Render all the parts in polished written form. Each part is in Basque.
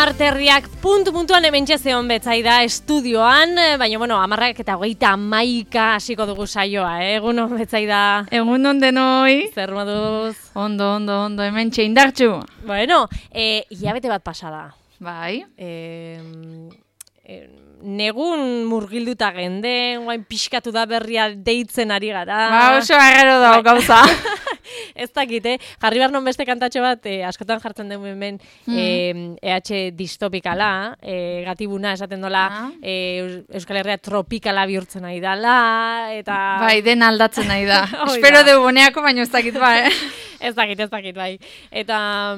Amarterriak puntuan hementxe zeon betzaida estudioan, baina, 10:21 hasiko dugu saioa, egun on betzaida. Egun on denoi. Zer moduz? Ondo, hementxe indartxu. Bueno, hilabete bat pasada. Bai. Negun murgilduta genden, guain pixkatu da berria deitzen ari gara. Ba, oso agero dago gauza. Ez dakit, jarri behar non beste kantatxo bat, askotan jartzen dugu hemen EH distopikala, gatibuna esaten dola, Euskal Herria tropikala bihurtzen nahi dala, eta... Bai, den aldatzen nahi da. Espero dugu boneako, baina ez dakit ba, Ez dakit, bai. Eta,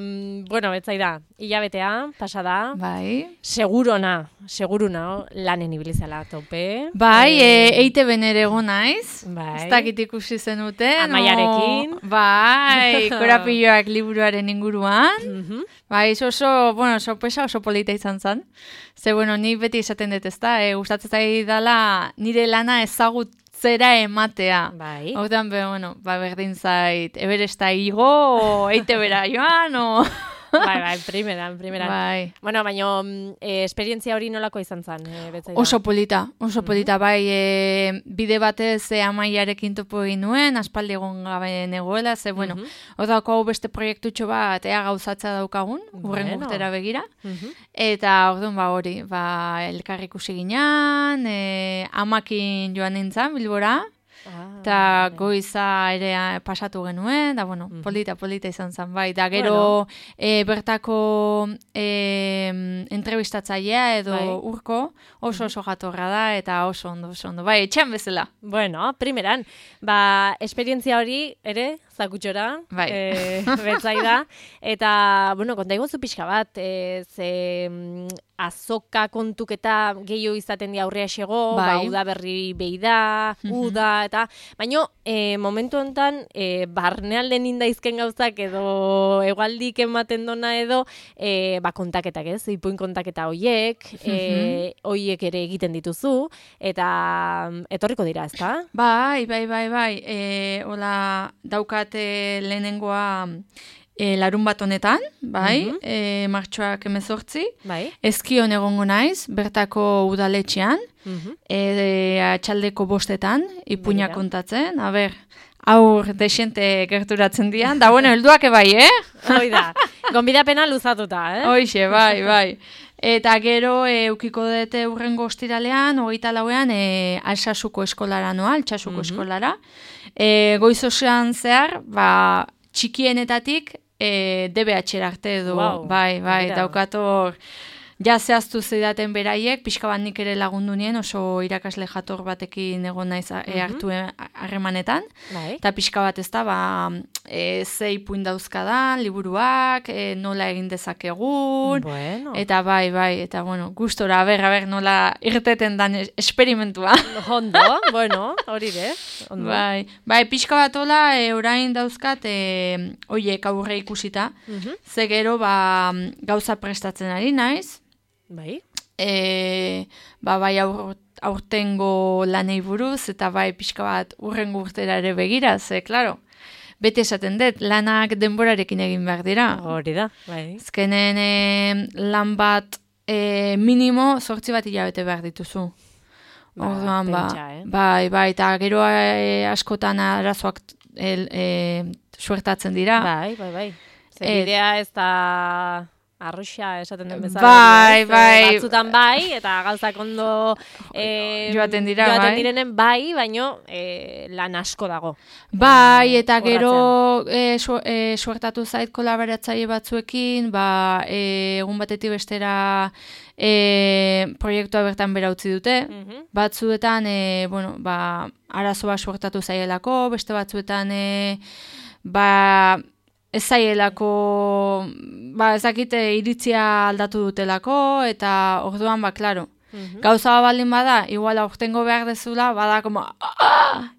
betzaida, hilabetea, pasada. Bai. Seguruna, lanen ibilizela tope. Bai, EITB-en ere egon naiz. Bai. Ez dakit ikusi zenuten. Amaiarekin. Bai, korapilloak liburuaren inguruan. Bai, oso polita izan zen. Ze, ni beti esaten dut ezta, gustatzen zaidala nire lana ezagutzera ematea. Bai. Hortan, berdin zait, Everesta igo, EITB-era joan, o... Bai, primeran. Bai. Baina esperientzia hori nolako izan zen, betzaida? Oso polita, bai, bide batez Amaiarekin topo egin nuen, aspaldi egon gabe negoela, ze, odako hau beste proiektutxo bat, gauzatza daukagun, urren urtera begira, eta orduan hori, elkar ikusi ginean, Amakin joan nintzen, Bilbora, eta goiza ere pasatu genuen, da, polita izan zen, bai, da, gero bertako entrevistatzailea edo urko oso jatorra da, eta oso ondo, bai, etxean bezala. Bueno, primeran, esperientzia hori ere, zakutxora, betzaida, eta, konta iguzu pixka bat, ze azoka kontuketa gehiago izaten di aurrea xego, uda berri behi da, uda, eta, baina momentu honetan, barnealden indaizken gauzak edo egualdik ematen dona edo, kontaketak ez, ipuin kontaketa hoiek, hoiek ere egiten dituzu, eta etorriko dira, ezta? Bai, hola, daukate lehenengoa larun bat honetan, bai, martxoak 18, Ezkion egongo naiz, bertako udaletxean, atxaldeko 5 ipuina kontatzen, aur desente gerturatzen dian, da, helduak bai, Hoi da, gonbidapena luzatuta, Hoixe, bai. Eta gero, eukiko dute urrengo ostiralean, 24ean, Altsasuko eskolara noa, Altsasuko eskolara. Goizosean zehar, txikienetatik, DBH-era arte edo, bai, daukator, ja zehaztu zidaten beraiek, pixka bat nik ere lagundu nien, oso irakasle jator batekin egon naiz hartu harremanetan, eta pixka bat ez da, ze ipuin dauzkadan, liburuak, nola egin dezakegun, eta bai, eta gustora, nola irteten dan esperimentua. Ondo, hori de. Bai, pixka bat hola, orain dauzkat, oiek aurre ikusita, ze gero, gauza prestatzen ari naiz, bai, aurtengo lanei buruz, eta pixka bat urrengo urtera ere begira, ze, klaro, beti esaten dut, lanak denborarekin egin behar dira. Hori da, bai. Ezkenen lan bat minimo 8 bat hilabete behar dituzu. Orduan, bai, eta gero askotan arazoak suertatzen dira. Bai. Zerbidea ez da... Arroxa esaten den bezala. Bai. Batzutan bai, eta gauzak ondo joaten direnen bai, baino lan asko dago. Bai, eta gero suertatu zait kolaboratzaile batzuekin, egun batetik bestera proiektua bertan bera utzi dute. Batzuetan, arazoa suertatu zaielako, beste batzuetan, ez zaielako, ezakite iritzia aldatu dutelako, eta orduan, klaro, gauza baldin bada, igual aurtengo behar dezula, bada, como,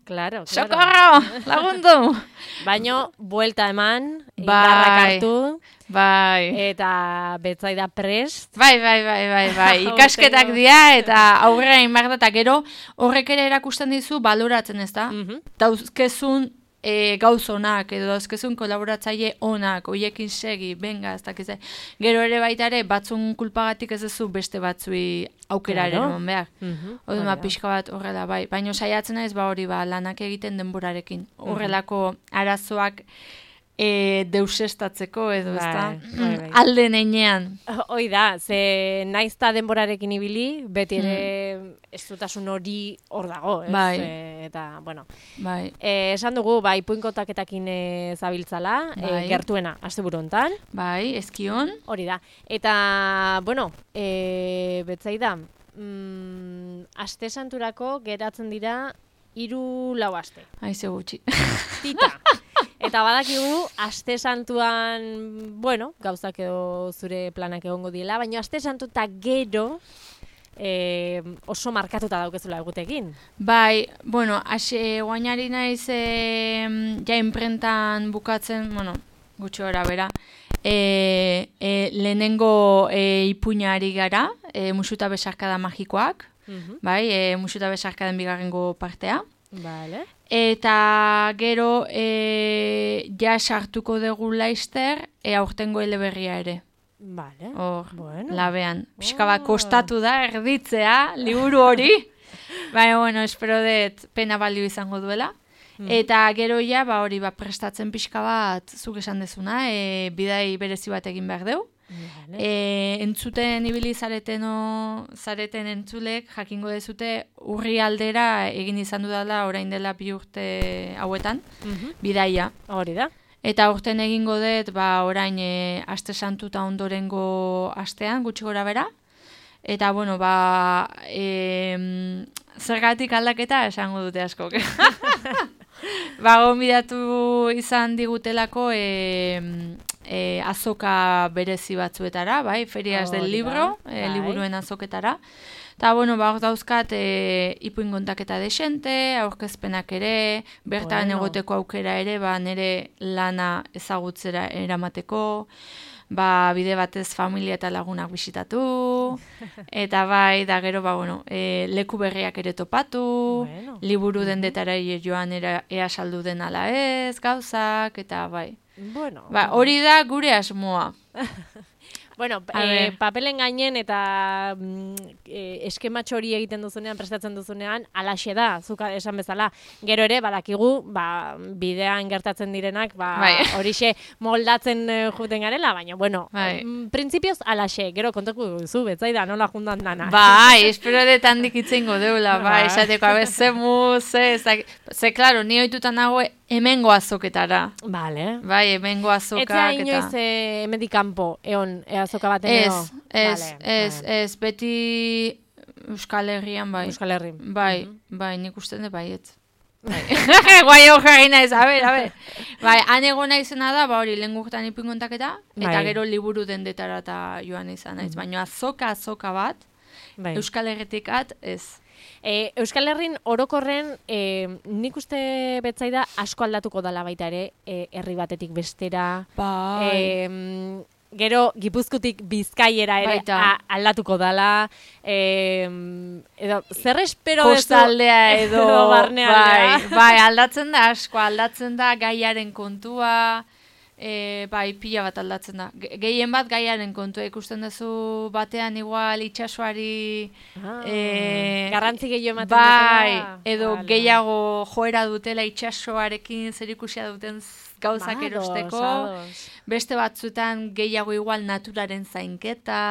claro. Socorro, lagundu! Baino, buelta eman, indarrak hartu, eta betzaida prest. Bai, ikasketak dira, eta aurrera inbar da, eta gero horrek ere erakusten dizu baloratzen ez da. Dauzkezun gauz onak, edo dauzkezun kolaboratzaile onak, oiekin segi, benga, ez dakiz. Gero ere baita ere, batzun kulpagatik ez duzu beste batzui aukeraren eman behar. Oduma pixka bat horrela, bai. Baina saiatzen naiz, hori lanak egiten denborarekin. Horrelako arazoak deusestatzeko edo, ezta? Alde neinean. Hoi da, ze naizta denborarekin ibili, beti ere estutasun hori hor dago, ez? Bai. Eta, bueno. Bai. Esan dugu, ipuinkontaketakin zabiltzala, gertuena, asteburu hontan. Bai, eskion. Hori da. Eta, bueno, betzaida, aste santurako geratzen dira 3-4 aste. Aize gutxi. Tita. Eta badakigu, aste santuan, bueno, gauzak edo zure planak egongo diela, baina aste santu eta gero oso markatuta daukezula egutekin. Bai, bueno, guainari naiz ja imprentan bukatzen, bueno, gutxi gora bera, lehenengo ipuinari gara, musuta besarkada magikoak, bai, musuta besarkaden bigarrengo partea. Vale. Eta gero ja sartuko dugu laister aurtengo eleberria ere. Vale. Hor, bueno. Labean. Pixka bat kostatu da erditzea, liburu hori. Baina, bueno, espero dut pena balio izango duela. Eta gero ja, hori prestatzen pixka bat, zuk esan dezuna, bidai berezi bat egin behar deu. Vale. Entzuten ibili zareten entzulek jakingo dezute urri aldera egin izan dudala orain dela 2 urte hauetan, bidaia. Hori da. Eta urten egingo dut orain aste santu eta ondorengo astean, gutxi gora bera. Eta, bueno, zergatik aldaketa esango dute askok. Gonbidatu izan digutelako azoka berezi batzuetara, bai, ferias del libro, liburuen azoketara. Eta, bueno, hor dauzkat ipuin kontaketa desente, aurkezpenak ere, bertan egoteko aukera ere, nire lana ezagutzera eramateko, bide batez familia eta lagunak bisitatu, eta bai, da gero, leku berriak ere topatu, liburu dendetara joan ea saldu den ala ez, gauzak, eta bai. Hori da gure asmoa. Bueno, papelen gainen eta eskematxo hori egiten duzunean, prestatzen duzunean, alaxe da, zuka esan bezala. Gero ere, badakigu, bidean gertatzen direnak, horixe moldatzen juten garela, baina, bueno, printzipioz alaxe, gero kontako duzu, betzaida, nola jundan dana. Bai, espero dut handik itzengo deula, esateko, zemu, ze, klaro, ni oitutan nago hemengo azoketara. Vale. Bai, hemengo azokak. Etzea inoiz hemendik kanpo, egon, azoka baten edo? Ez, beti Euskal Herrian, bai. Euskal Herrian. Bai, nik uste dut baiet. Guai hor jarri naiz, a ber. Bai, han egon naizena da, hori lehen gurtan ipuin kontaketa, eta gero liburu dendetara eta joan izan naiz. Baina azoka bat, Euskal Herritikat, ez. Euskal Herrin orokorren nik uste betzaida asko aldatuko dala baita ere, herri batetik bestera. Gero Gipuzkoatik Bizkaiera ere aldatuko dala. Edo zer espero kostaldea edo barnealdea. Bai, aldatzen da asko, aldatzen da gaiaren kontua. Pila bat aldatzen da. Gehien bat gaiaren kontua ikusten duzu batean igual itxasoari garrantzi gehiago ematen dutela. Edo gehiago joera dutela itxasoarekin zerikusia duten gauzak erosteko. Beste batzuetan gehiago igual naturaren zainketa.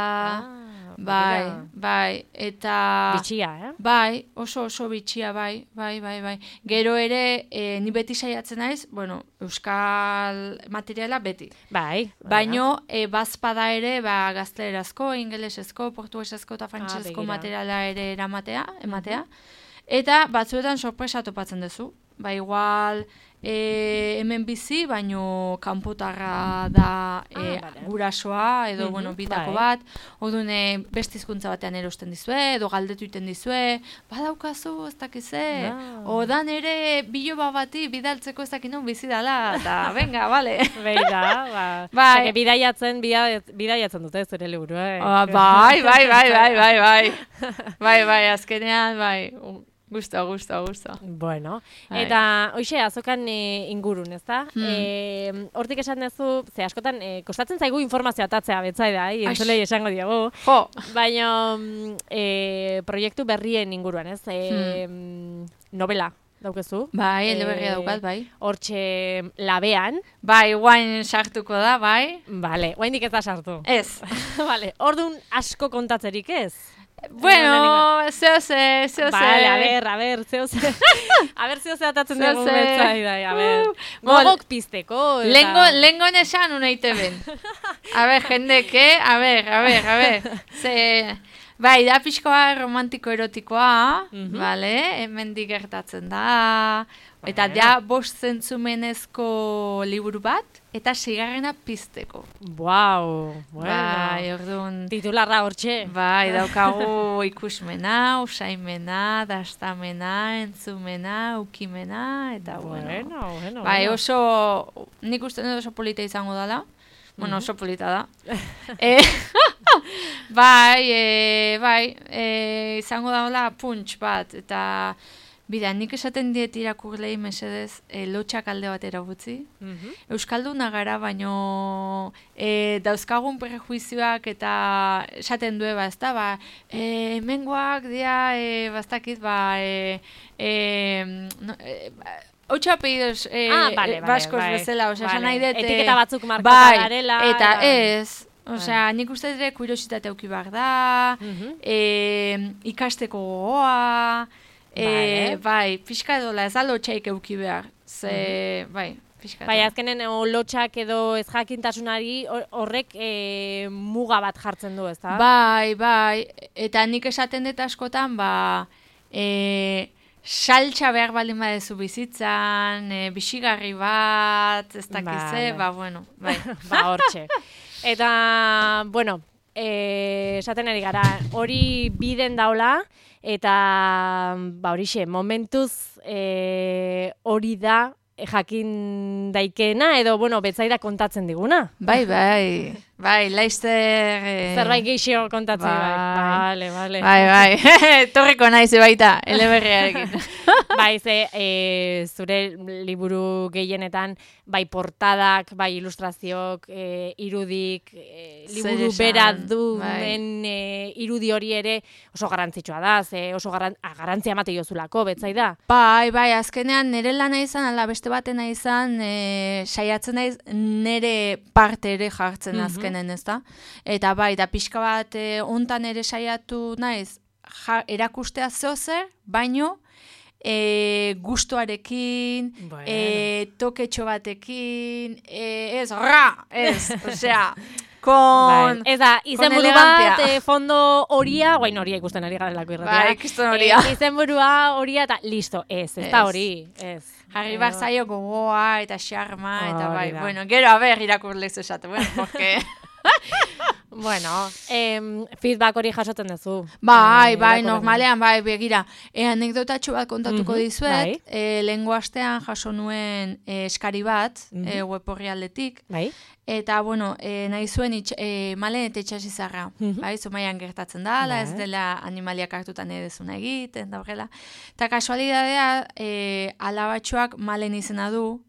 Bai, eta... Bitxia, Bai, oso bitxia, bai. Gero ere, ni beti saiatzen naiz, euskal materiala beti. Bai. Baino, bazpada ere, gaztelerazko, ingelesezko, portugesezko eta frantsesezko materiala ere ematea. Eta batzuetan sorpresa topatzen duzu. Igual... hemen bizi, baino kanpotarra da gurasoa, edo bitako bat, orduan beste hizkuntza batean erosten dizue, edo galdetu iten dizue, badaukazu, ez dakize, odan ere biloba bati bidaltzeko ez dakinon bizi dala, eta venga, bale. Beira, bidaiatzen dute zure liburu, Bai, azkenean, Gusto. Bueno, eta hoxe, azokan ingurun, ez da? Hortik esan duzu, ze askotan, kostatzen zaigu informazioa atatzea, betzaida, entzulei esango diogu. Baina, proiektu berrien inguruan, ez? Novela. Daukezu. Bai, eleberria daukat, bai. Hortxe labean. Bai, guain sartuko da, bai. Bale, guaindik ez da sartu. Ez. Bale, orduan asko kontatzerik ez? Bueno, zeo ze. Bale, a ber, zeo ze. A ber, zeo ze atatzen dugu betzaidai, a ber. Gogok pizteko. Lengo nesan uneite ben. A ber, jendeke, a ber. Ze... Bai, da pixkoa romantiko-erotikoa, bale, hemendik gertatzen da, eta da 5 zentzumenezko liburu bat, eta 6. pizteko. Bueno. Bai, orduan... Titularra hortxe. Bai, daukagu ikusmena, usaimena, dastamena, entzumena, ukimena, eta bueno. Bai, oso, nik uste oso polita izango dela. Bueno, oso polita da. Bai, izango da hola punch bat, eta bida, nik esaten diet irakurlei mesedez lotxak alde batera utzi. Euskalduna gara, baino dauzkagun prejuizioak eta esaten du ez da, hemengoak dia, bastakit, Otxa apellidos baskos bezala, osea, nahi dut... Etiketa batzuk markatu garela... Eta ez, osea, nik uste ere kuriositate auki behar da, ikasteko gogoa, bai, pixka edola, ez da lotxaik auki behar, bai, pixka edola. Bai, azkenen lotxak edo ez jakintasunari horrek muga bat jartzen du, ez da? Bai, eta nik esaten dut askotan, saltxa behar baldin badezu bizitzan, bixigarri bat, ez dakize, bueno, bai. Hortxe. Eta, bueno, esaten ari gara, hori biden daula, eta, horixe, momentuz hori da jakin daikena, edo, bueno, betzaida kontatzen diguna. Bai, laizter... Zerbait geixo kontatzen, bai. Bale. Bai, torriko naiz baita, eleberriarekin. Bai, zure liburu gehienetan, bai portadak, bai ilustrazioak, irudik, liburu bera duen irudi hori ere oso garrantzitsua da, oso garrantzia emate jozulako, betzaida. Bai, azkenean nire lana izan, ala beste batena izan, saiatzen naiz nire parte ere jartzen azkenen, ez da? Eta bai, da pixka bat ontan ere saiatu naiz, erakustea zeozer, baino, gustuarekin, toketxo batekin, osea, ez da, izenburu bat, fondo horia, guain horia ikusten ari garelako irratia. Bai, ikusten horia. Izenburua horia eta listo, ez da hori, ez. Jarri bat zaio gogoa eta xarma, eta bai, bueno, gero haber irakurlez esatu, porque... Bueno, feedback hori jasotzen duzu. Bai, normalean, begira. Anekdotatxo bat kontatuko dizuet. Lehengo astean jaso nuen eskari bat, web orrialdetik. Eta, bueno, nahi zuen malen eta itxasizarra. Zumaian gertatzen da, ez dela animaliak hartutan edezuna egiten, da horrela. Eta kasualidadea, alabatxoak malen izena du,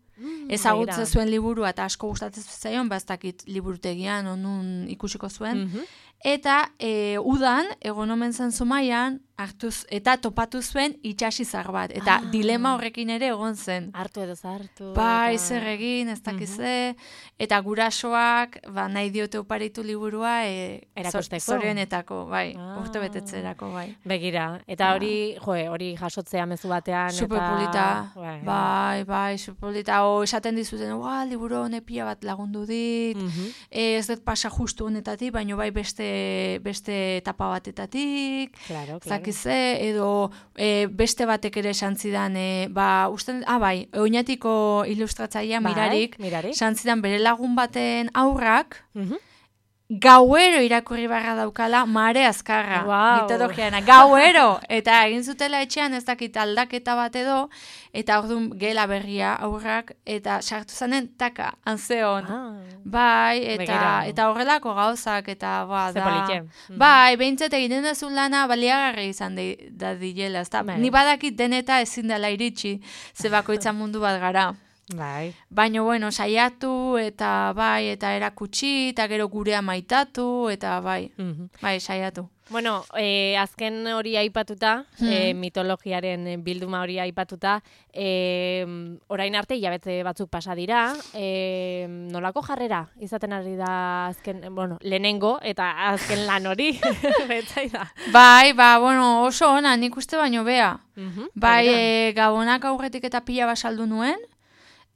ezagutze zuen liburua eta asko gustatzen zaion, bastakit liburutegian onun ikusiko zuen. Eta udan, egon omen zen Zumaian, hartuz eta topatu zuen itxasizar bat. Eta dilema horrekin ere egon zen. Hartu edo zartu. Bai, zer egin, ez dakize. Eta gurasoak, nahi diote oparitu liburua, zorionetako, bai, urte betetzerako, bai. Begira, eta hori jasotzea mezu batean. Superpolita, bai, superpolita. Esaten dizuten, liburu honepia bat lagundu dit, ez dut pasa justu honetatik, baina bai beste etapa batetatik, edo beste batek ere santzidan, oinatiko ilustratzaia Mirarik, santzidan bere lagun baten aurrak, gauero irakurri barra daukala mare azkarra, mitologiana, gauero, eta egin zutela etxean ez dakit aldaketa bat edo, eta orduan gela berria aurrak, eta sartu zanen taka, anzeon, bai, eta horrelako gauzak, eta bai, behintzat egiten dezun lana baliagarri izan da dilela, ni badakit deneta ezin dela iritsi, ze bakoitzan mundu bat gara. Bai. Baina, bueno, saiatu, eta bai, eta erakutsi, eta gero gurea maitatu, eta bai, bai, saiatu. Bueno, azken hori aipatuta, mitologiaren bilduma hori aipatuta, orain arte hilabete batzuk pasa dira, nolako jarrera izaten ari da azken, bueno, lehenengo eta azken lan hori, betzai da. Bai, bueno, oso ona, nik uste baino bea. Bai, Gabonak aurretik eta pila basaldu nuen,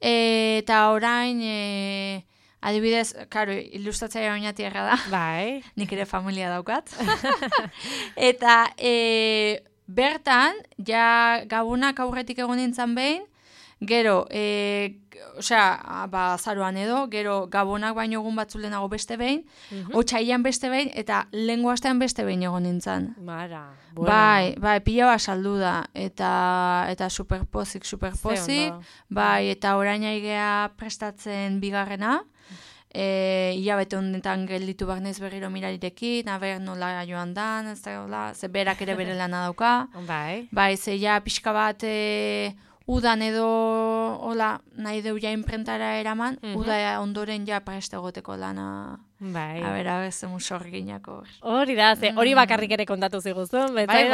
eta orain, adibidez, karo, ilustratzaia oinati erra da. Bai. Nik ere familia daukat. Eta bertan, ja Gabonak aurretik egon nintzen behin, gero, azaroan edo, gero Gabonak baino egun batzu lehenago beste behin, otsailean beste behin, eta lehengo astean beste behin egon nintzen. Mara, bueno. Bai, pila bat saldu da, eta superpozik, bai, eta orain aigea prestatzen bigarrena, hilabete honetan gelditu barnez berriro mirarirekin, aber nola joan dan, ze berak ere bere lana dauka, bai, ze ja pixka bat, udan edo, hola, nahi deu ja imprentara eraman, uda ondoren ja preste egoteko lana. Bai. A ber, sorginako. Hori da, hori bakarrik ere kontatu ziguzun. Bai.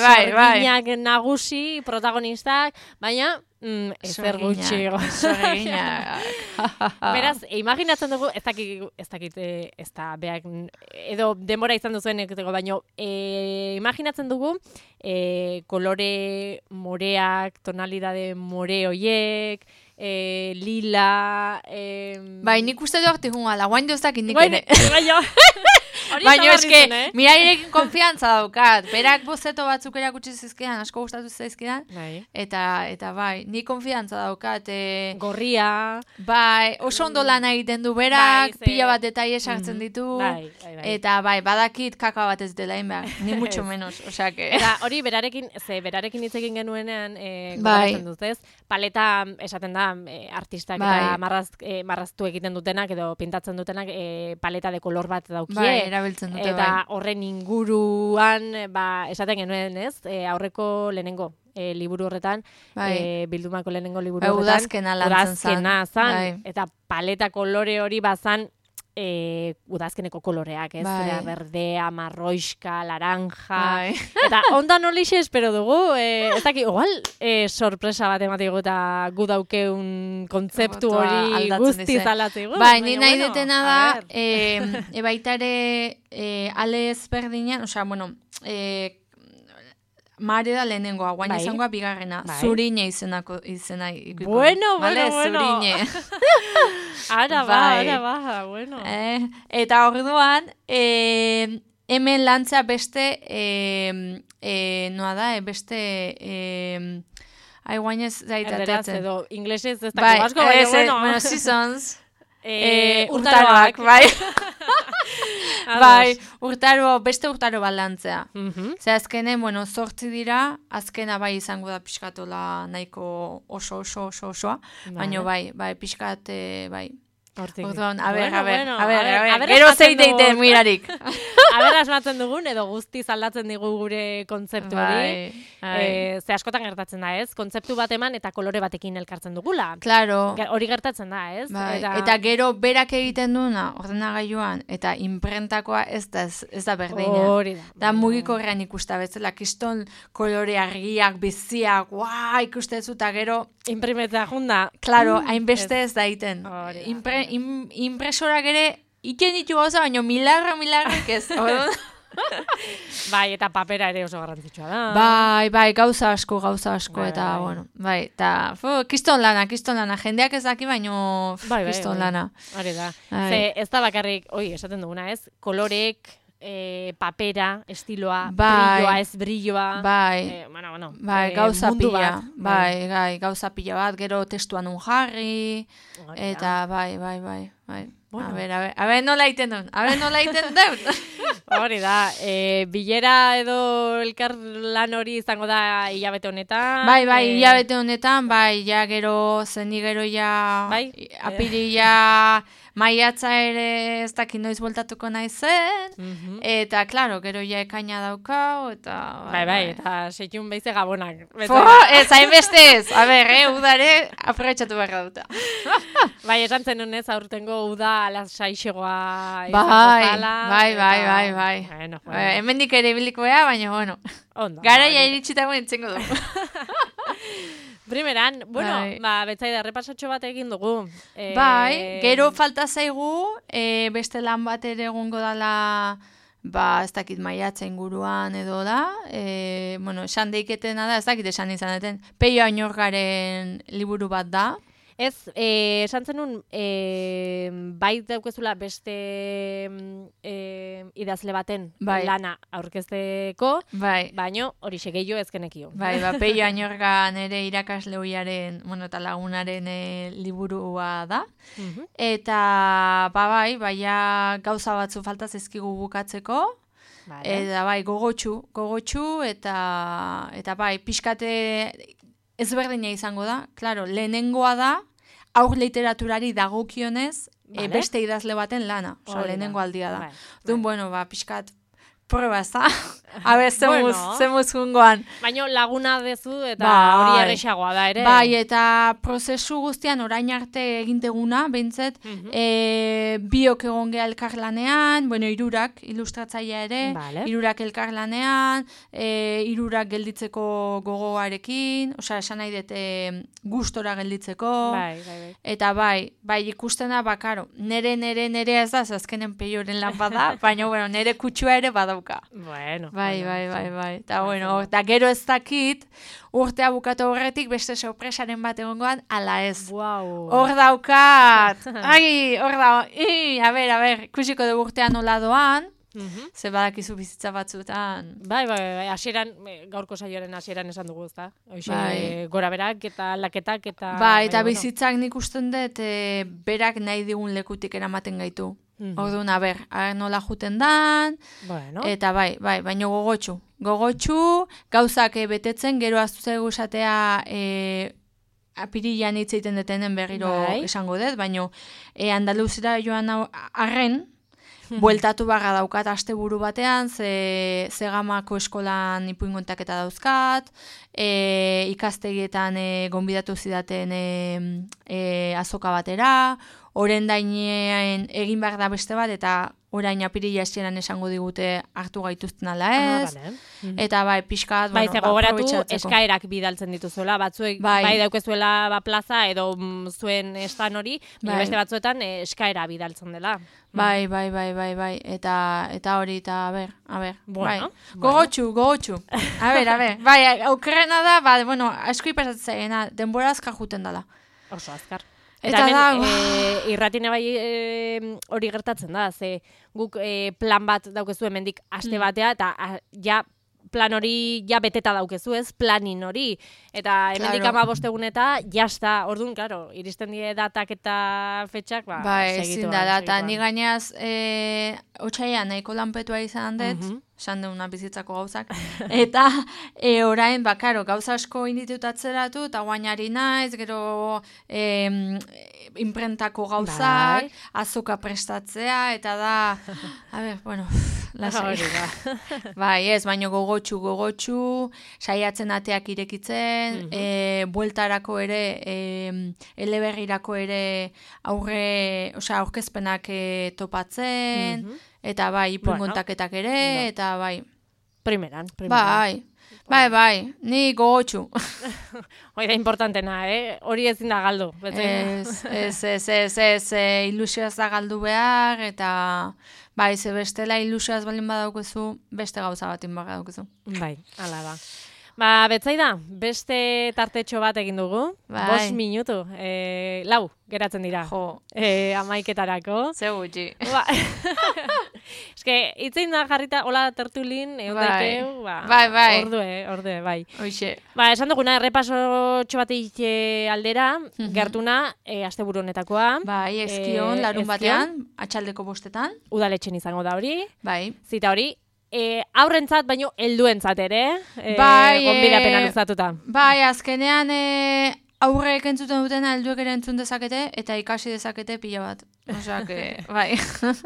Sorginak nagusi, protagonistak, baina ezer gutxi. Sorginak. Beraz, imaginatzen dugu, ez dakit, ez da, beak, edo denbora izan duzuen, baina imaginatzen dugu, kolore moreak, tonalidade more hoiek, lila... Bai, nik uste du hartu junga, guain duzak indik ere. Baina eske, mirairekin konfiantza daukat. Berak bozeto batzuk erakutsi zizkidan, asko gustatu zaizkidan. Eta bai, ni konfiantza daukat. Gorria. Bai, oso ondo lan egiten du berak, pila bat detaile sartzen ditu. Eta bai, badakit kaka bat ez dela inbehar, ni mucho menos. Eta hori berarekin hitz egin genuenean, goratzen dut ez, paleta esaten da, artistak eta marraztu egiten dutenak, edo pintatzen dutenak, paleta de kolor bat daukie. Erabiltzen dute, eta horren inguruan, esaten genuen, ez? Aurreko lehenengo liburu horretan, bildumako lehenengo liburu horretan, udazkena zan, eta paleta kolore hori bazan, udazkeneko koloreak, ez? Berdea, marroiska, laranja, eta ondan horixe espero dugu, ez daki, igual, sorpresa bat ematik eta gu daukeun kontzeptu hori guztiz aldatzegu. Bai, ni nahi detena da, baitare ale ezberdinean, Mare da lehenengoa, guain izangoa bigarrena. Zurine izena ikuiko. Bueno. Zurine. Ara ba, bueno. Eta orduan, hemen lantzea beste, noa da, beste... guain ez zaitatzen. Erderaz edo, inglesez ez dako asko, bueno, seasons. Urtaroak, bai. Bai, beste urtaro balantzea. Zer azkenen, zortzi dira, azkena bai izango da pixkatola nahiko osoa, baina bai, pixkat, bai. Orduan, a ber, gero zeiteiten mirarik. Aber asmatzen dugun, edo guztiz aldatzen digu gure kontzeptu hori. Ze askotan gertatzen da, ez? Kontzeptu bat eman eta kolore batekin elkartzen dugula. Claro. Hori gertatzen da, ez? Eta gero berak egiten duna, ordenagailuan, eta imprentakoa ez da berdina. Hori da. Da mugikorrean ikusta bezala, kiston kolore argiak, biziak, ikustezu, eta gero... Imprimetzea junda. Claro, hainbeste ez da iten. Impresorak ere, iken ditu gauza, baina milagrak ez. Bai, eta papera ere oso garrantzitsua da. Bai, gauza asko, eta, bueno, bai, eta, kiston lana, jendeak ez daki, baina kiston lana. Hori da. Ze, ez da bakarrik, esaten duguna, ez? Kolorek, papera, estiloa, brilloa, ez brilloa. Bai, gauza pila. Bai, gauza pila bat, gero testuan un jarri, eta bai. Bueno. A ber, nola iten dut. Hori da, bilera edo elkar lan hori izango da hilabete honetan. Bai, hilabete honetan, bai, ja gero, zendi gero ja, bai? Apirila, maiatza ere ez dakit noiz voltatuko naizen, eta, klaro, gero ja ekaina daukau, eta... Bai, eta seitun behize gabonak. Ez, hainbestez, a ber, udare, aprobetxatu beharra duta. Bai, esan zen honez, aurtengo uda alasaixegoa Bai. Bueno. Hemendik ere biliko bea, baina, bueno. Garaia iritsitago entzengo dugu. Primeran, bueno, betzaida, repasatxo bat egin dugu. Bai, gero falta zaigu, beste lan bat ere egongo dala, ez dakit maiatza inguruan edo da, bueno, esan deiketena da, ez dakit esan izaneten, Peio Añorgaren liburu bat da. Ez, esan zenun, bai daukezula beste idazle baten lana aurkezteko, baino hori segeio ezkenekio. Bai, Peio Añorga nere irakasle hoiaren, bueno, eta lagunaren liburua da. Eta, bai, gauza batzu falta zezkigu bukatzeko, eta bai, gogotxu, eta bai, pixkate ezberdina izango da, klaro, lehenengoa da, aur literaturari dagokionez, beste idazle baten lana, lehenengo aldia da. Dun, bueno, pixkat, prueba ez da, habe, zemuz jungoan. Baina laguna dezu eta hori errexagoa da ere. Bai, eta prozesu guztian orain arte eginteguna, behintzet, biok egon geha elkarlanean, bueno, irurak, ilustratzaia ere, irurak elkarlanean, irurak gelditzeko gogoarekin, osea, esan nahi dut gustora gelditzeko, eta bai, ikusten da, karo, nere ez da, azkenen Peioren lan bada, baina, bueno, nere kutsua ere badauka. Bueno. Bai. Eta, bueno, eta gero ez dakit, urtea bukatu horretik beste sorpresaren bat egongoan, ala ez. Hor daukat. A ber, ikusiko dugu urtean nola doan, ze badakizu bizitza batzutan. Bai, hasieran, gaurko saioaren hasieran esan dugu, ezta? Gora berak eta laketak eta... Bai, eta bizitzak nik usten dut, berak nahi digun lekutik eramaten gaitu. Orduan, nola juten dan, eta bai, baina gogotxu, gauzak betetzen, gero aztu zaigu esatea apirilan hitz egiten detenen berriro esango dut, baina Andaluzira joan arren, bueltatu barra daukat asteburu batean, ze gamako eskolan ipuingontaketa dauzkat, ikastegietan gonbidatu zidaten azoka batera, orain dainean egin behar da beste bat, eta orain apirila hasieran esango digute hartu gaituzten ala ez. Eta bai, pixkat, bueno, gogoratu eskaerak bidaltzen dituzuela, batzuek bai daukezuela plaza edo zuen estan hori, beste batzuetan eskaera bidaltzen dela. Bai, eta hori, eta a ber, gogotxu. A ber, bai, aukerrena da, bueno, asko ipasatzen denbora azkar juten dela. Oso azkar. Eta hemen irratine bai hori gertatzen da, ze guk plan bat daukezu hemendik aste batea, eta ja plan hori ja beteta daukezu, ez, planin hori. Eta hemendik 15 egun eta jasta, orduan, klaro, iristen die datak eta fetxak, segitu. Ezin da, eta ni gainaz, otsaian nahiko lanpetua izan dut, esan deuna bizitzako gauzak, eta orain, karo, gauza asko inditutatzeratu, eta guainari naiz, gero imprentako gauzak, azoka prestatzea, eta da, a ber, bueno, lasai. Bai, ez, baino gogotxu, saiatzen ateak irekitzen, bueltarako ere, eleberrirako ere aurkezpenak topatzen, eta bai, ipuingontaketak ere, eta bai. Primeran. Bai, ni gogotxu. Hori da importantena, hori ezin da galdu. Ez, ilusioaz da galdu behar, eta bai, ze bestela ilusioaz balin badaukezu, beste gauza batin badaukezu. Bai, ala da. Betzaida, beste tartetxo bat egin dugu. 5 minutu. 4 geratzen dira. Jo. 11etarako. Ze gutxi. Eske, itzein da jarrita, hola tertulin, daiteu, ordue, bai. Hoixe. Esan duguna, errepasotxo batik aldera, gertuna, asteburu honetakoa. Bai, eskion, larun batean, atxaldeko 5etan. Udaletxen izango da hori. Bai. Zita hori. Aurrentzat, baino helduentzat ere, gonbidapena luzatuta. Bai, azkenean aurrek entzuten dutena helduek ere entzun dezakete, eta ikasi dezakete pila bat. Osea, bai.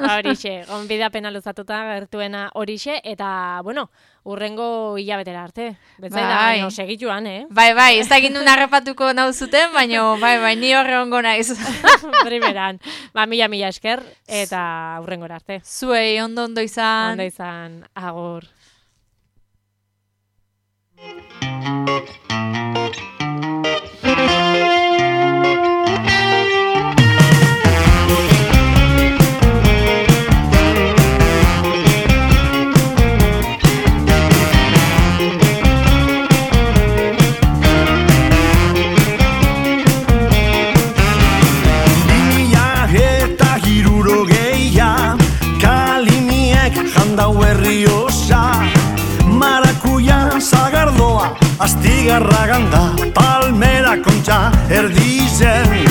Horixe, gonbidapena luzatuta gertuena horixe, eta, bueno, urrengo hilabetera arte. Betzaida, segituan, Bai, ez da egin duen arrepatuko nauzuten, baina, bai, ni horre ongo naiz. Primeran. Mila esker, eta urrengora arte. Zuei, ondo izan. Ondo izan, agur. Astigarra ganda, palmera kontxa erdizen.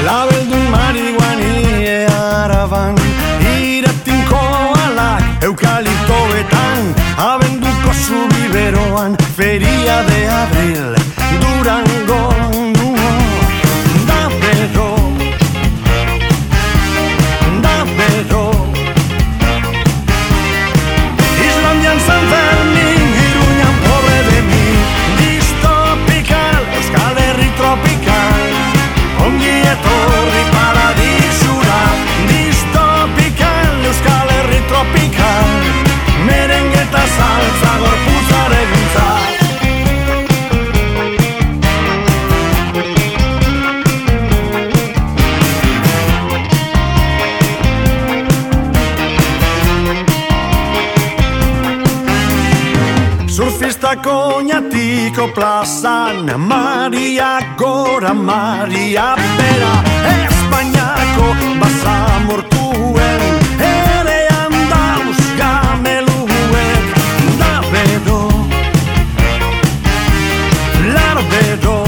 Labeldun marihuani araban, iratinko alak eukaliptoetan, abenduko zubiberoan, feria de abril, Durango. Islandian San Fermin, Iruñan pobre de mi, distopical, Euskal Herri tropical, ongi etorri paradisura, distopical, Euskal Herri tropical, merengue eta salsa gorpuzareguntza. Surfistako Oñatiko plazan, Maria gora, Maria bera, Espainiako basamortuen, erean dauz gameluek, da bedo, lar bedo.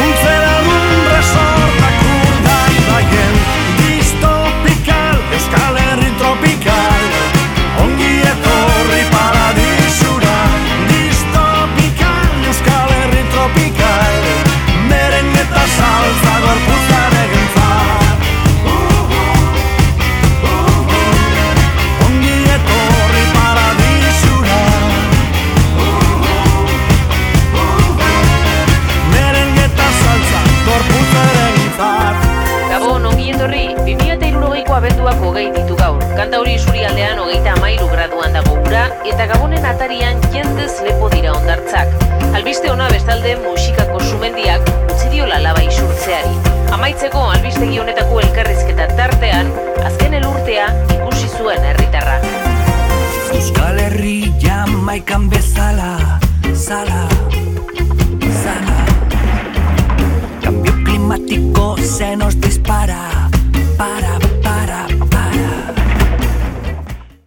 Untzera dun resortak urdai baien, distopical, Euskal Herri tropical, ongi etorri paradisura, distopical, Euskal Herri tropical, merengue eta salsa gorpuzaregentzat. Ongi etorri paradisura, merengue eta salsa gorpuzaregentzat. Gabon, ongi etorri, 2060ko abenduak 20 ditu gaur. Kantauri isurialdean 33 graduan dago ura, eta Gabonen atarian jendez lepo dira hondartzak. Albiste ona bestalde musikako sumendiak utzi diola laba isurtzeari. Amaitzeko albistegi honetako elkarrizketa tartean, azken elurtea ikusi zuen herritarra. Euskal Herri Jamaikan bezala, zala.